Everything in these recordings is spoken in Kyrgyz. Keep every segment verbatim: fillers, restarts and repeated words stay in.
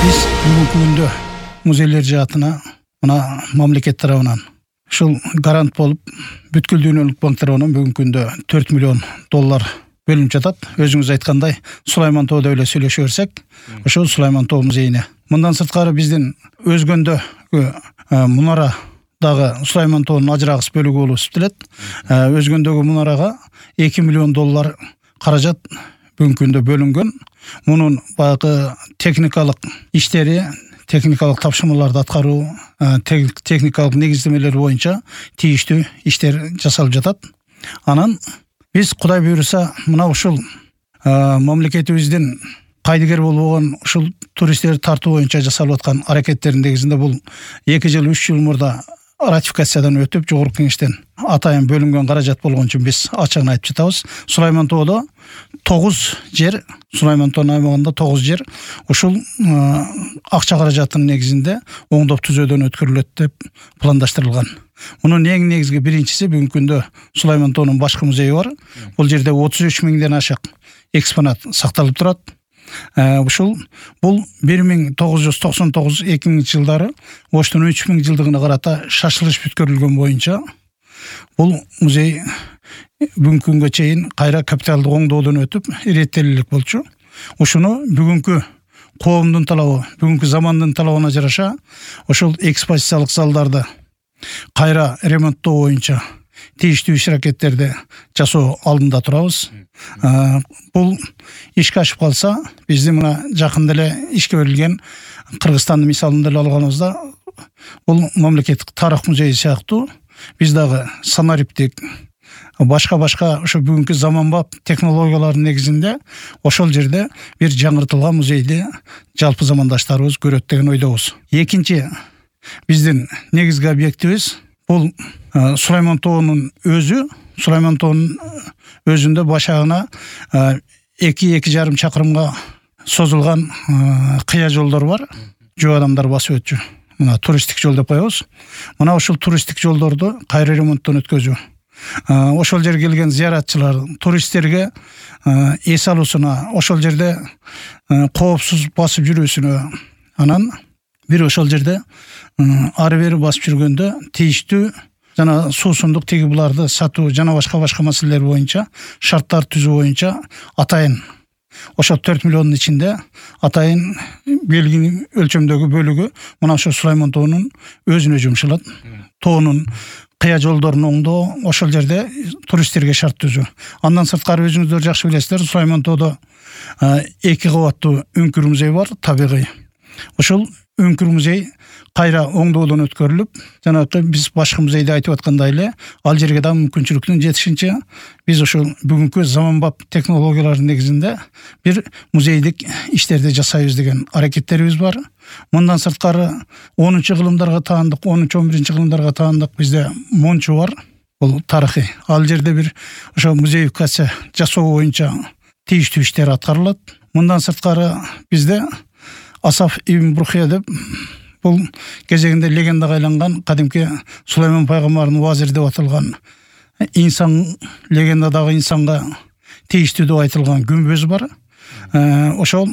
Биз бүгүнкү күндө музейлер жаатына мына мамлекет тарабынан ушул гарант болуп бүткүл дүйнөлүк банк тарабынан бүгүнкү күндө төрт миллион доллар бөлүнүп жатат. Өзүңүз айткандай, Сулайман тоодо эле сүйлөшө берсек, ошол Сулайман тоо музейине. Мындан сырткары биздин Өзгөндөгү мунара дагы Сулайман тоонун ажырагыс бөлүгү болуп эсептелет. Өзгөндөгү мунарага эки миллион доллар каражат бүгүнкү күндө бөлүнгөн. Мунун баягы техникалык иштери, техникалык тапшырмаларды аткаруу, техникалык негиздемелер боюнча тийиштүү иштер жасалып жатат. Анан биз Кудай буйруса мына ушул мамлекетибиздин кайдыгер болбогон ушул туристтерди тартуу боюнча жасалып аткан аракеттердин негизинде бул эки жыл үч жыл мурда ратификациядан өтүп, жогорку кеңештен атайын бөлүнгөн каражат болгон үчүн биз ачыгын айтып жатабыз. Сулайман тоодо тогуз жер, Сулайман тоонун аймагында тогуз жер ушул акча каражатынын негизинде оңдоп түзөөдөн өткөрүлөт деп пландаштырылган. Мунун эң негизги биринчиси бүгүнкү күндө Сулайман тоонун башкы музейи бар. Бул жерде отуз үч миңден ашык экспонат сакталып турат. Ушул бул бир миң тогуз жүз токсон тогуз эки миңинчи жылдары Оштун үч миң жылдыгына карата шашылыш бүткөрүлгөн боюнча бул музей бүгүнкү күнгө чейин кайра капиталдык оңдоодон өтүп иреттелик болчу. Ушуну бүгүнкү коомдун талабы, бүгүнкү замандын талабына жараша ошол экспозициялык залдарды кайра ремонттоо боюнча тийиштүү иш-аракеттерди жасоо алдында турабыз. Бул ишке ашып калса, биздин мына жакында эле ишке берилген Кыргызстандын мисалын деле алганыбызда, бул мамлекеттик тарых музейи сыяктуу биз дагы санариптик башка-башка ошо бүгүнкү заманбап технологиялардын негизинде ошол жерде бир жаңыртылган музейди жалпы замандаштарыбыз көрөт деген ойдобуз. Экинчи биздин негизги объектибиз бул Сулайман тоонун өзү. Сулайман тоонун өзүндө башагына эки эки жарым чакырымга созулган кыя жолдор бар. Жөө адамдар басып өтчү. Мына туристтик жол деп коебуз. Мына ошол туристтик жолдорду кайра ремонттон өткөзүү. Ошол жерге келген зыяратчылар, туристтерге эс алуусуна, ошол жерде коопсуз басып жүрүүсүнө, анан бир ошол жерде ары бери басып жүргөндө тийиштүү жана суусундук тиги буларды сатуу жана башка-башка маселелер боюнча шарттар түзүү боюнча атайын ошо төрт миллиондун ичинде атайын белгилүү өлчөмдөгү бөлүгү мына ошо Сулайман тоонун өзүнө жумшалат. Тоонун кыя жолдорун оңдоо, ошол жерде туристтерге шарт түзүү. Андан сырткары өзүңүздөр жакшы билесиздер, Сулайман тоодо эки кабаттуу үңкүр музей бар, табигый. Ошол үңкүр музей кайра оңдоодон өткөрүлүп, жанагы биз башкы музейде айтып аткандай эле, ал жерге да мүмкүнчүлүктүн жетишинче биз ошол бүгүнкү заманбап технологиялардын негизинде бир музейдик иштерди жасайбыз деген аракеттерибиз бар. Мындан сырткары онунчу кылымдарга таандык, онунчу он биринчи кылымдарга таандык бизде Мончу бар. Бул тарыхый. Ал жерде бир ошо музеификация жасоо боюнча тийиштүү иштер аткарылат. Мындан сырткары бизде Асаф ибн Бурхия деп бул кезегинде легендага айланган кадимки Сулайман пайгамбардын вазир деп аталган инсан, легендадагы инсанга тийиштүү деп айтылган күмбөз бар. Ошол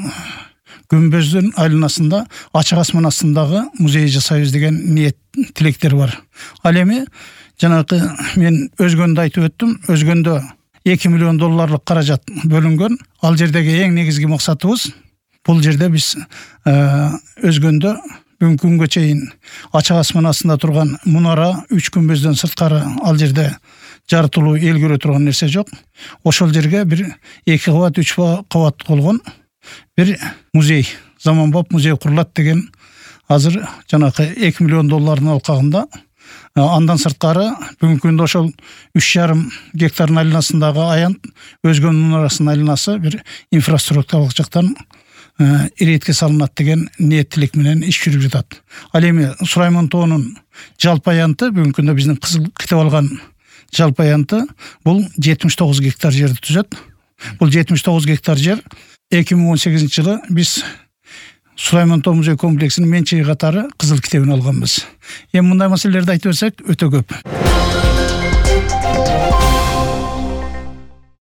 күмбөздүн айланасында ачык асман астындагы музей жасайбыз деген ниет, тилектер бар. Ал эми жанагы мен Өзгөндө айтып өттүм. Өзгөндө эки миллион долларлык каражат бөлүнгөн. Ал жердеги эң негизги максатыбыз бул жерде биз Өзгөндө бүгүнкү күнгө чейин ачык асман астында турган мунара, үч күмбөздөн сырткары ал жерде жарытылуу эл көрө турган нерсе жок. Ошол жерге бир эки кабат, үч кабат болгон бир музей, заманбап музей курулат деген азыр жанагы эки миллион доллардын алкагында. Андан сырткары бүгүнкү күндө ошол үч жарым гектардын айланасындагы аянт Өзгөн мунарасынын айланасы бир инфраструктуралык жактан иретке салынат деген ниет тилек менен иш жүрүп жатат. Ал эми Сулайман тоонун жалпы аянты бүгүнкү күндө биздин кызыл китеп алган жалпы аянты бул жетимиш тогуз гектар жерди түзөт. Бул жетимиш тогуз гектар жер эки миң он сегизинчи жылы биз Сулайман тоо музей комплексинин менчиги катары кызыл китебин алганбыз. Эми мындай маселелерди айтып берсек өтө көп.